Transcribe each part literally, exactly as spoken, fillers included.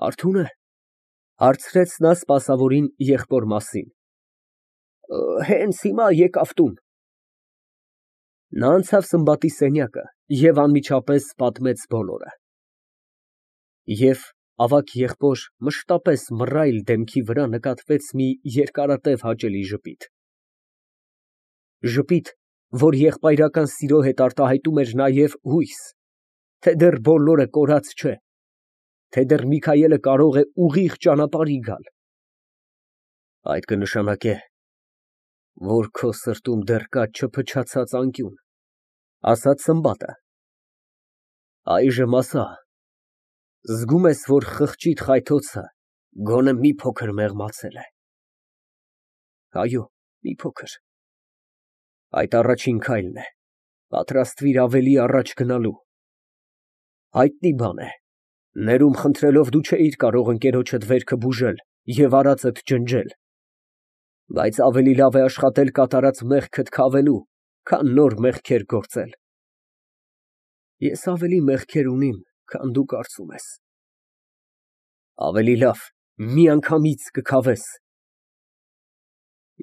Արթո՞ւն է, հարցրեց նա սպասավորին եղբոր մասին։ Հենց հիմա եկավ տուն։ Նա անցավ Սմբատի սենյակը և անմիջապես պատմեց բոլորը։ Եվ ավագ եղբոր մշտապես մռայլ դեմքի վրա նկատվեց մի երկարատև հաճելի ժպիտ, ժպիտ, որ եղբայրական սիրո հետ արտահայտում էր նաև հույս, թե դեռ բոլորը կորած չէ, թե դեռ Միքայելը կարող է ուղիղ ճանապարհի գալ։ Այդ կնշանակե, որ քո սրտում դեռ կա չփչացած անկյուն, ասաց Սմբատը։ Այժմ ասա, զգո՞ւմ ես, որ խղճիդ խայթոցը գոնե մի փոքր մեղմացել է։ Այո, մի փոքր։ Այդ առաջին քայլն է, պատրաստվիր ավելի առաջ գնալու։ Հայտնի բան է, ներումն խնդրելով դու չէիր կարող ընկերոջդ վերքը բուժել և արածդ ջնջել, բայց ավելի լավ է աշխատել կատարած մեղքդ քավելու, քան նոր մեղքեր գործել։ Ես ավելի մեղքեր ունիմ, քան դու կարծում ես։ Ավելի լավ միանգամից կքավես։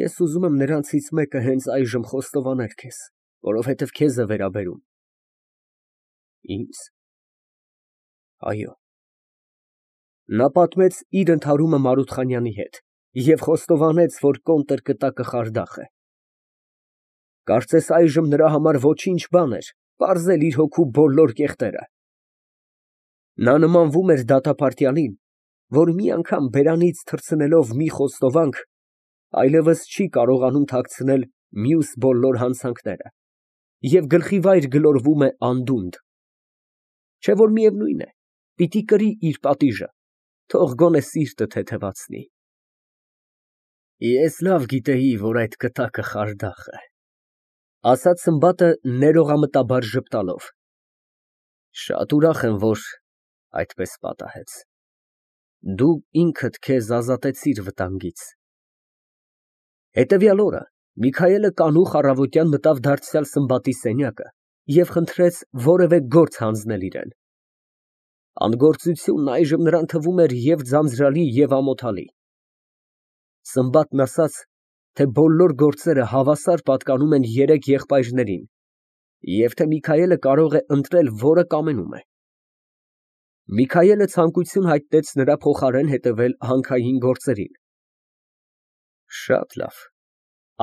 Ես ուզում եմ նրանցից մեկը հենց այժմ խոստովանել քեզ, որովհետև քեզ է վերաբերում։ Ինձ։ Այո։ Նա պատմեց իր ընդհարումը Մարութխանյանի հետ և խոստովանեց, որ կոնտրկտակը խարդախ է։ Կարծես այժմ նրա համար ոչինչ բան էր պարզել իր հոգու բոլոր կեղտերը։ Նա նմանվում էր դատապարտյալին, որ մի անգամ բերանից թռցնելով մի խոստովանք, այլևս չի կարողանում թաքցնել մյուս բոլոր հանցանքները և գլխիվայր գլորվում է անդունդը, չէ՞ որ միևնույն է, պիտի կրի իր պատիժը, թող գոնե սիրտը թեթևացնի։ Ես լավ գիտեի, որ այդ կտակը խարդախ է, ասաց Սմբատը ներողամտաբար ժպտալով։ Շատ ուրախ եմ, որ այդպես պատահեց։ Դու ինքդ քեզ ազատեցիր վտանգից։ Հետևյալ օրը Միքայելը կանուխ առավոտյան մտավ դարձյալ Սմբատի սենյակը և խնդրեց որևէ գործ հանձնել իրան։ Անգործությունն այժմ նրան թվում էր և ձանձրալի, և ամոթալի։ Սմբատն ասաց, թե բոլոր գործերը հավասար պատկանում են երեք եղբայրներին և թե Միքայելը կարող է ընտրել, որը կամենում է։ Միքայելը ցանկություն հայտնեց նրա փոխարեն հետևել հանքային գործերին։ Շատ լավ,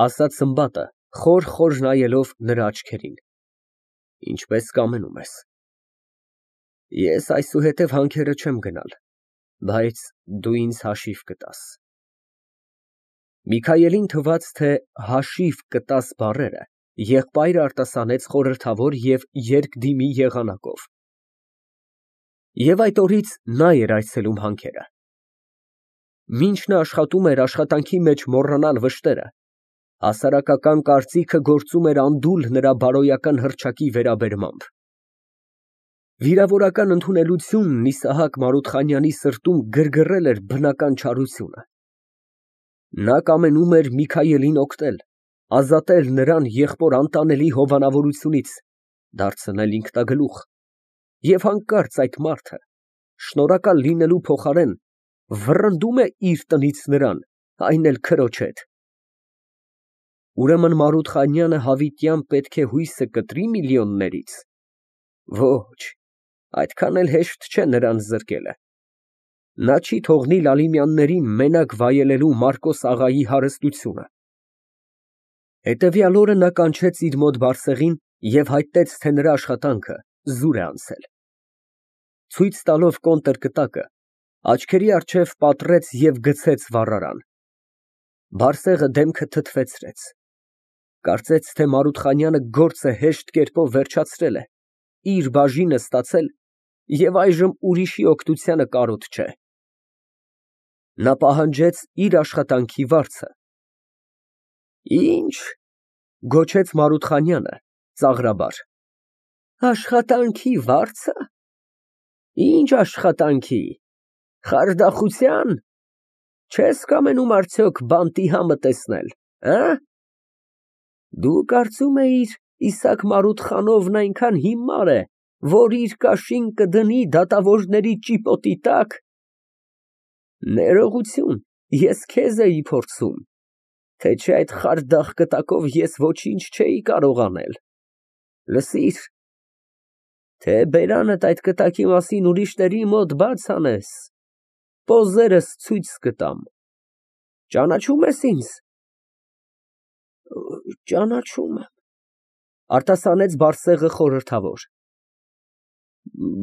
ասաց Սմբատը, խոր֊խոր նայելով նրա աչքերին, ինչպես կամենում ես։ Ես այսուհետև հանքերը չեմ գնալ, բայց դու ինձ հաշիվ կտաս։ Միքայելին թվաց, թե հաշիվ կտաս բառերը եղբայրը արտասանեց խորհրդավոր և երկդիմի եղանակով։ Եվ այդ օրից նա էր այցելում հանքերը։ Մինչ նա աշխատում էր աշխատանքի մեջ մոռանալ վշտերը, հասարակական կարծիքը գործում էր անդուլ նրա բարոյական հռչակի վերաբերմամբ։ Վիրավորական ընդունելությունն Իսահակ Մարութխանյանի սրտում գրգռել էր բնական չարությունը։ Նա կամենում էր Միքայելին օգնել, ազատել նրան եղբոր անտանելի հովանավորությունից, դարձնել ինքնագլուխ, և հանկարծ այդ մարդը, շնորհակալ լինելու փոխարեն, վռնդում է իր տնից նրան, այն էլ քրոջ հետ։ Ուրեմն Մարութխանյանը հավիտյան պետք է հույսը կտրի միլիոններից։ Ոչ, այդքան էլ հեշտ չէ նրան զրկելը։ Նա չի թողնի Լալիմյաններին մենակ վայելելու Մարկոս աղայի հարստությունը։ Հետևյալ օրը նա կանչեց իր մոտ Բարսեղին և հայտնեց, թե նրա աշխատանքը զուր է անցել։ Ցույց տալով կոնտրկտակը, աչքերի առջև պատռեց և գցեց վառարան։ Բարսեղը դեմքը թթվեցրեց, կարծեց, թե Մարութխանյանը գործը հեշտ կերպով վերջացրել է, իր բաժինը ստացել և այժմ ուրիշի օգնությանը կարոտ չէ։ Նա պահանջեց իր աշխատանքի վարձը։ Ի՞նչ, գոչեց Մարութխանյանը ծաղրաբար, աշխատանքի վա՞րձը։ Ի՞նչ աշխատանքի, խարդախության, չե՞ս կամենում արդյոք բանտի համը տեսնել, հը՞։ Դու կարծում էիր Իսահակ Մարութխանովն այնքան հիմար է, որ իր կաշին կդնի դատավորների ճիպոտի տա՞կ։ Ներողություն, ես քեզ էի փորձում, թե չէ այդ խարդախ կտակով ես ոչինչ չէի կարող անել։ Լսիր, թե բերանդ այդ կտակի մասին ուրիշների մոտ բաց անես, պոզերս ցույց կտամ։ Ճանաչո՞ւմ ես ինձ։ Ճանաչում եմ, արտասանեց Բարսեղը խորհրդավոր։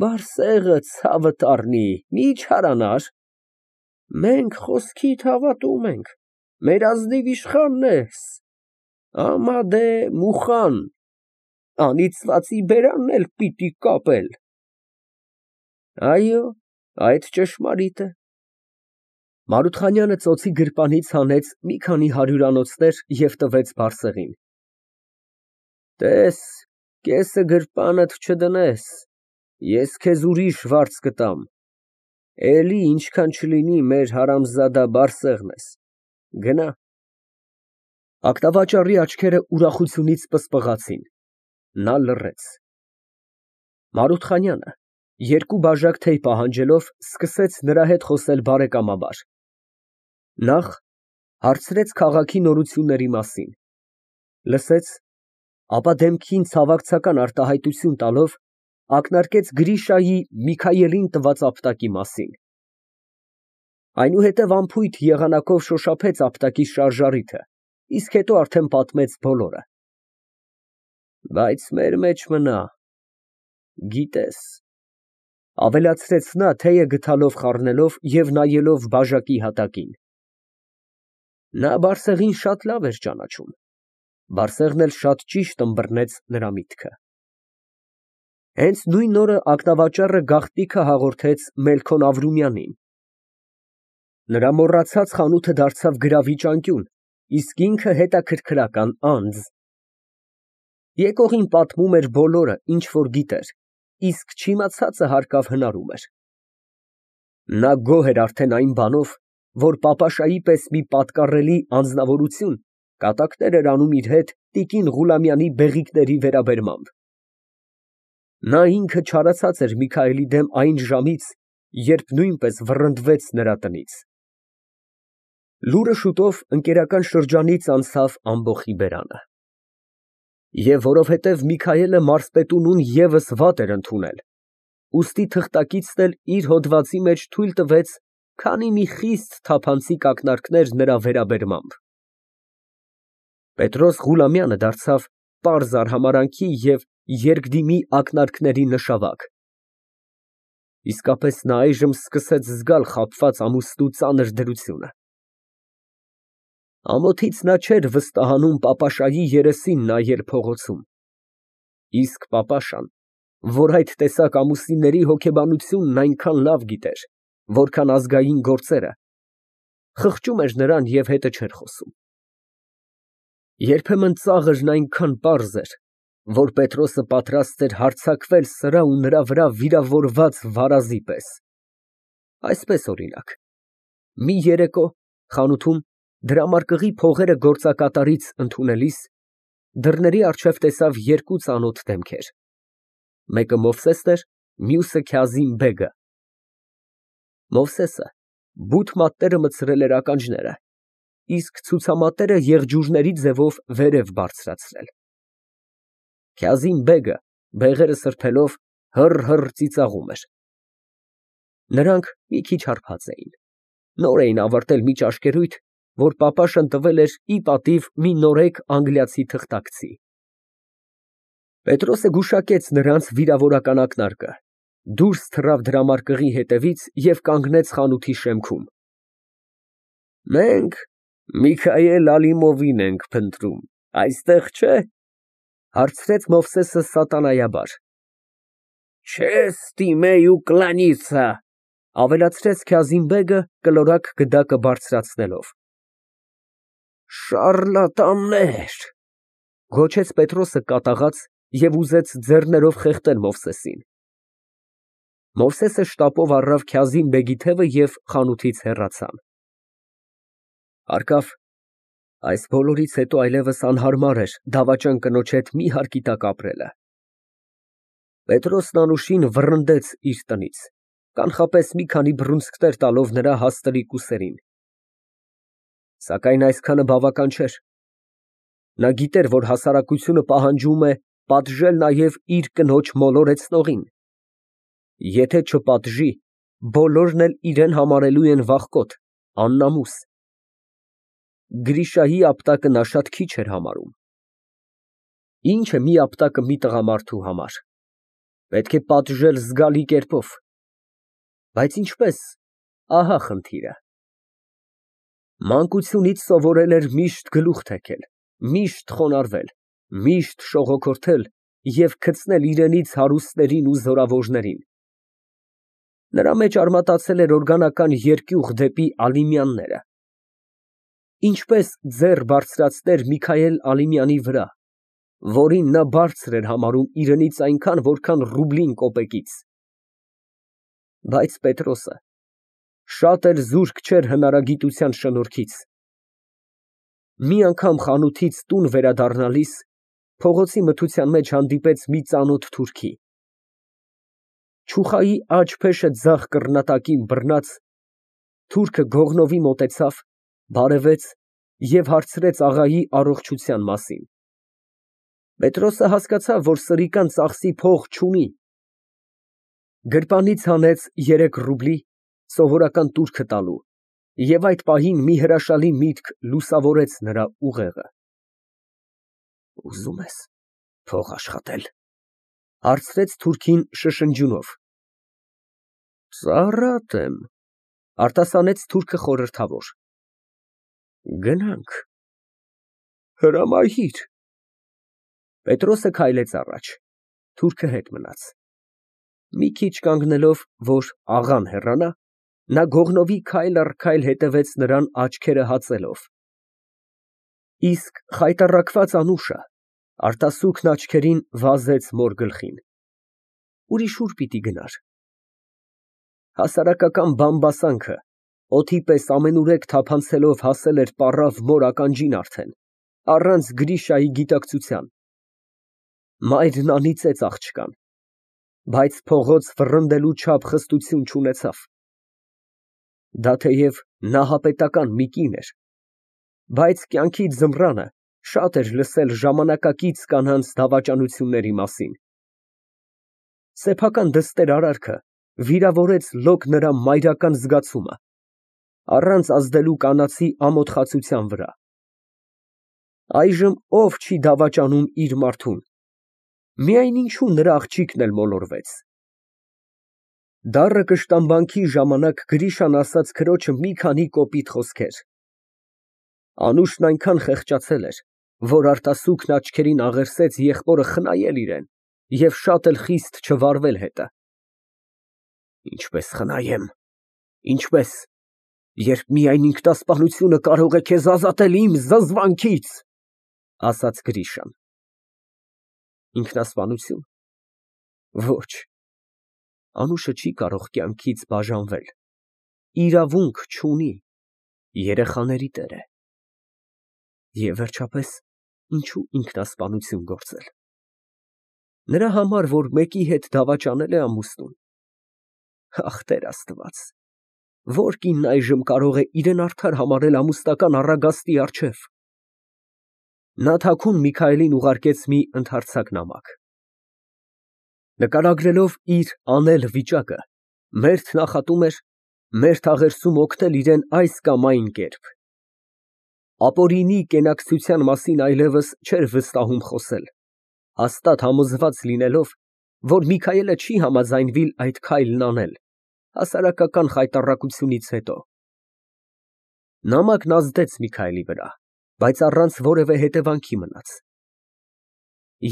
Բարսեղը ցավդ առնի, մի չարանար, մենք խոսքիդ հավատում ենք, մեր ազնիվ իշխանն ես, ամադե մուխան, անիծվածի բերանն էլ պիտի կապել։ Այո, այդ ճշմարիտ է։ Մարութխանյանը ծոցի գրպանից հանեց մի քանի հարյուրանոցներ և տվեց Բարսեղին։ Տես, կեսը գրպանդ չդնես, ես քեզ ուրիշ վարձ կտամ, էլի ինչքան չլինի մեր հարամզադա Բարսեղն ես, գնա։ Ակնավաճառի աչքերը ուրախությունից պսպղացին, նա լռեց։ Մարութխանյանը, երկու բաժակ թեյ պահանջելով, սկսեց նրա հետ խոսել բարեկամաբար։ Նախ հարցրեց քաղաքի նորությունների մասին, լսեց, ապա դեմքին ցավակցական արտահայտություն տալով ակնարկեց Գրիշայի Միքայելին տված ապտակի մասին։ Այնուհետև անփույթ եղանակով շոշափեց ապտակի շարժառիթը, իսկ հետո արդեն պատմեց բոլորը։ Բայց մեր մեջ մնա, գիտես, ավելացրեց նա թեյը գդալով խառնելով և նայելով բաժակի հատակին։ Նա Բարսեղին շատ լավ էր ճանաչում, Բարսեղն էլ շատ ճիշտ ըմբռնեց նրա միտքը։ Հենց նույն օրը ակնավաճառը գաղտնիքը հաղորդեց Մելքոն Ավրումյանին։ Նրա մոռացած խանութը դարձավ գրավիչ անկյուն, իսկ ինքը հետաքրքրական անձ։ Եկողին պատմում էր բոլորը, ինչ որ գիտեր, իսկ չիմացածը հարկավ հնարում էր։ Նա գոհ էր արդեն այն բանով, որ պապաշայի պես մի պատկառելի անձնավորություն կատակներ էր անում իր հետ տիկին Ղուլամյանի բեղիկների վերաբերմամբ։ Նա ինքը չարացած էր Միքայելի դեմ այն ժամից, երբ նույնպես վռնդվեց նրա տնից։ Լուրը շուտով ընկերական շրջանից անցավ ամբոխի բերանը։ Եվ որովհետև Միքայելը մարզպետունուն ևս վատ էր ընդունել, ուստի թղթակիցն էլ իր հոդվածի մեջ թույլ տվեց քանի մի խիստ թափանցիկ ակնարկներ նրա վերաբերմամբ։ Պետրոս Ղուլամյանը դարձավ պարզ արհամարհանքի և երկդիմի ակնարկների նշավակ։ Իսկապես նա այժմ սկսեց զգալ խաբված ամուսնու ծանր դրությունը։ Ամոթից նա չէր վստահանում պապաշայի երեսին նայել փողոցում, իսկ պապաշան, որ այդ տեսակ ամուսինների հոգեբանությունն այնքան լավ գիտեր, որքան ազգային գործերը, խղճում էր նրան և հետը չէր խոսում։ Երբեմն ծաղրն այնքան պարզ էր, որ Պետրոսը պատրաստ էր հարձակվել սրա ու նրա վրա վիրավորված վարազի պես։ Այսպես, օրինակ, մի երեկո խանութում դրամարկղի փողերը գործակատարից ընդունելիս դռների առջև տեսավ երկու ծանոթ դեմքեր, մեկը Մովսեսն էր, մյուսը Քյազիմ֊բեգը։ Մովսեսը բութ մատները մտցրել էր ականջները, իսկ ցուցամատները եղջյուրների ձևով վերև բարձրացրել։ Քյազիմ֊բեգը բեղերը սրբելով հըռ֊հըռ ծիծաղում էր։ Նրանք մի քիչ հարբած էին, նոր էին ավարտել մի ճաշկերույթ, որ պապաշան տվել էր ի պատիվ մի նորեկ անգլիացի թղթակցի։ Պետրոսը գուշակեց նրանց վիրավորական ակնարկը, դուրս թռավ դրամարկղի հետևից և կանգնեց խանութի շեմքում։ Մենք Միքայել Ալիմովին ենք փնտրում, այստեղ չէ՞, հարցրեց Մովսեսը սատանայաբար։ Չես տիմեյ ու կլանիցա, ավելացրեց Քյազիմ֊բեգը կլորակ գդակը բարձրացնելով։ Շառլատաններ, գոչեց Պետրոսը կատաղած և ուզեց ձեռներով խեղդել Մովսեսին։ Մովսեսը շտապով առավ Քյազիմ֊բեգի թևը և խանութից հեռացան։ Հարկավ, այս բոլորից հետո այլևս անհարմար էր դավաճան կնոջ հետ մի հարկի տակ ապրելը։ Պետրոսն անուշին վռնդեց իր տնից, կանխապես մի քանի բռունցքներ տալով նրա հաստլիկ ուսերին։ Սակայն այսքանը բավական չէր։ Նա գիտեր, որ հասարակությունը պահանջում է պատժել նաև իր կնոջ մոլորեցնողին։ Եթե չպատժի, բոլորն էլ իրեն համարելու են վախկոտ, աննամուս։ Գրիշայի ապտակը նա շատ քիչ էր համարում։ Ինչ է մի ապտակը մի տղամարդու համար։ Պետք է պատժել զգալի կերպով։ Բայց ինչպես, ահա խնդիրը։ Մանկությունից սովորել էր միշտ գլուխ թեքել, միշտ խոնարհվել, միշտ շողոքորթել և գցնել իրենից հարուստներին ու զորավորներին։ Նրա մեջ արմատացել էր օրգանական երկյուղ դեպի Ալիմյանները։ Ինչպես ձեռ բարձրացներ Միքայել Ալիմյանի վրա, որին նա բարձր էր համարում իրենից այնքան, որքան ռուբլին կոպեկից։ Բայց Պետրոսը շատ էլ զուրկ չէր հնարագիտության շնորհքից։ Մի անգամ խանութից տուն վերադառնալիս փողոցի մթության մեջ հանդիպեց մի ծանոթ թուրքի։ Չուխայի աջ փեշը ձախ կռնատակին բռնած, թուրքը գողնովի մոտեցավ, բարևեց և հարցրեց աղայի առողջության մասին։ Պետրոսը հասկացավ, որ սրիկան ծախսի փող չունի։ Գրպանից հանեց երեք ռուբլի, սովորական տուրքը տալու, և այդ պահին մի հրաշալի միտք լուսավորեց նրա ուղեղը։ Ուզո՞ւմ ես փող աշխատել, ֊ հարցրեց թուրքին շշնջյունով։ Ծառատ եմ, ֊ արտասանեց թուրքը խորհրդավոր։ Գնանք։ Հրամայիր։ Պետրոսը քայլեց առաջ, թուրքը հետ մնաց։ Մի քիչ կանգնելով, որ աղան հեռանա, նա գողնովի քայլ առ քայլ հետևեց նրան աչքերը հացելով։ Իսկ խայտառակված անուշը արտասուքն աչքերին վազեց մոր գլխին։ Ուրիշ ուր պիտի գնար։ Հասարակական բամբասանքը օդի պես ամենուրեք թափանցելով հասել էր պառավ մոր ականջին արդեն, առանց Գրիշայի գիտակցության։ Մայրն անիծեց աղջկան, բայց փողոց վռնդելու չափ խստություն չունեցավ։ Դա թեև նահապետական մի կին էր, բայց կյանքի ձմռանը շատ էր լսել ժամանակակից կանանց դավաճանությունների մասին։ Սեփական դստեր արարքը վիրավորեց լոկ նրա մայրական զգացումը, առանց ազդելու կանացի ամոթխացության վրա։ Այժմ ով չի դավաճանում իր մարդուն, միայն ինչու նրա աղջիկն էլ մոլորվեց։ Դառը կշտամբանքի ժամանակ Գրիշան ասաց քրոջը մի քանի կոպիտ խոսքեր։ Անուշն այնքան խեղճացել էր, որ արտասուքն աչքերին աղերսեց եղբորը խնայել իրեն և շատ էլ խիստ չվարվել հետը։ Ինչպես խնայեմ, ինչպես, երբ միայն ինքնասպանությունը կարող է քեզ ազատել իմ զզվանքից, ֊ ասաց Գրիշան։ Ինքնասպանություն։ Ոչ, Անուշը չի կարող կյանքից բաժանվել, իրավունք չունի, երեխաների տեր է։ Եվ վերջապես, ինչու ինքնասպանություն գործել։ Նրա համար, որ մեկի հետ դավաճանել է ամուսնուն։ Ախ, Տեր Աստված, որ կինն այժմ կարող է իրեն արդար համարել ամուսնական առագաստի առջև։ Նա թաքուն Միքայելին ուղարկեց մի ընդհարցակ նամակ։ Նկարագրելով իր անել վիճակը, մերթ նախատում էր մերթ աղերսում օգնել իրեն այս կամ այն կերպ։ Ապօրինի կենակցության մասին այլևս չէր վստահում խոսել, հաստատ համոզված լինելով, որ Միքայելը չի համաձայնվիլ այդ քայլն անել, հասարակական խայտառակությունից հետո։ Նամակն ազդեց Միքայելի վրա, բայց առանց որևէ հետևանքի մնաց։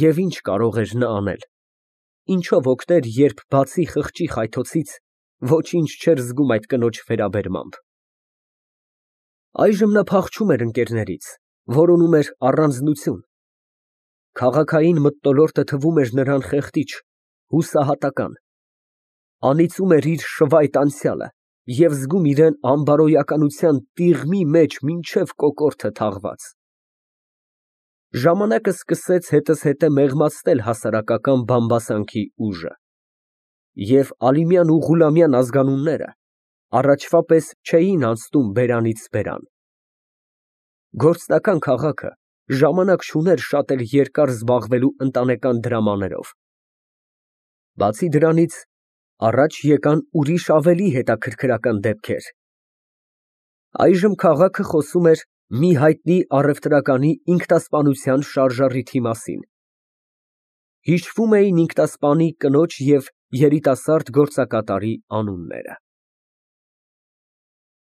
Եվ ինչ կարող էր նա անել, ինչով օգներ, երբ բացի խղճի խայթոցից ոչինչ չէր զգում այդ կնոջ վերաբերմամբ։ Այժմ նա փախչում էր ընկերներից, որոնում էր առանձնություն։ Քաղաքային մթնոլորտը թվում էր նրան խեղդիչ, հուսահատական։ Անիծում էր իր շվայտ անցյալը և զգում իրեն անբարոյականության տիղմի մեջ մինչև կոկորդը թաղված։ Ժամանակը սկսեց հետզհետե մեղմացնել հասարակական բամբասանքի ուժը։ Եվ Ալիմյան ու Ղուլամյան ազգանունները առաջվա պես չէին անցնում բերանից բերան։ Գործնական քաղաքը ժամանակ չուներ շատ էլ երկար զբաղվելու ընտանեկան դրամաներով։ Բացի դրանից, առաջ եկան ուրիշ ավելի հետաքրքրական դեպքեր։ Այժմ քաղաքը խոսում էր մի հայտնի առևտրականի ինքնասպանության շարժառիթի մասին։ Հիշվում էին ինքնասպանի կնոջ և երիտասարդ գործակատարի անունները։